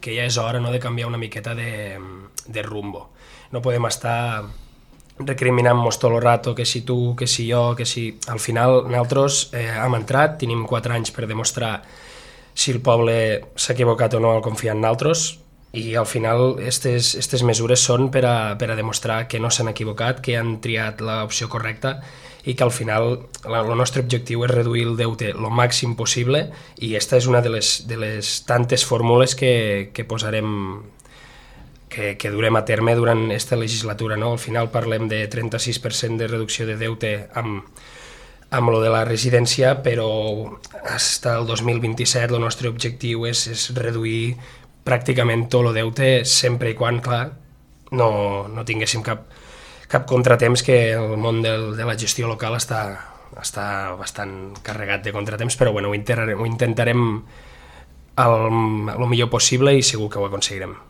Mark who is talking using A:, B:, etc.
A: que ja és hora, no, de canviar una miqueta de rumbo. No podem estar recriminant-nos tot el rato que si tu, que si jo, que si... Al final nosaltres hem entrat, tenim 4 anys per demostrar si el poble s'ha equivocat o no al confiar en nosaltres, i al final aquestes mesures són per a demostrar que no s'han equivocat, que han triat l'opció correcta i que al final el nostre objectiu és reduir el deute el màxim possible, i aquesta és una de les tantes fórmules que posarem, que durem a terme durant aquesta legislatura, no? Al final parlem de 36% de reducció de deute amb lo de la residència, però fins al 2027 el nostre objectiu és reduir pràcticament tot el deute, sempre i quan, clar, no tinguéssim cap contratemps, que el món de la gestió local està bastant carregat de contratemps, però bueno, ho intentarem el millor possible i segur que ho aconseguirem.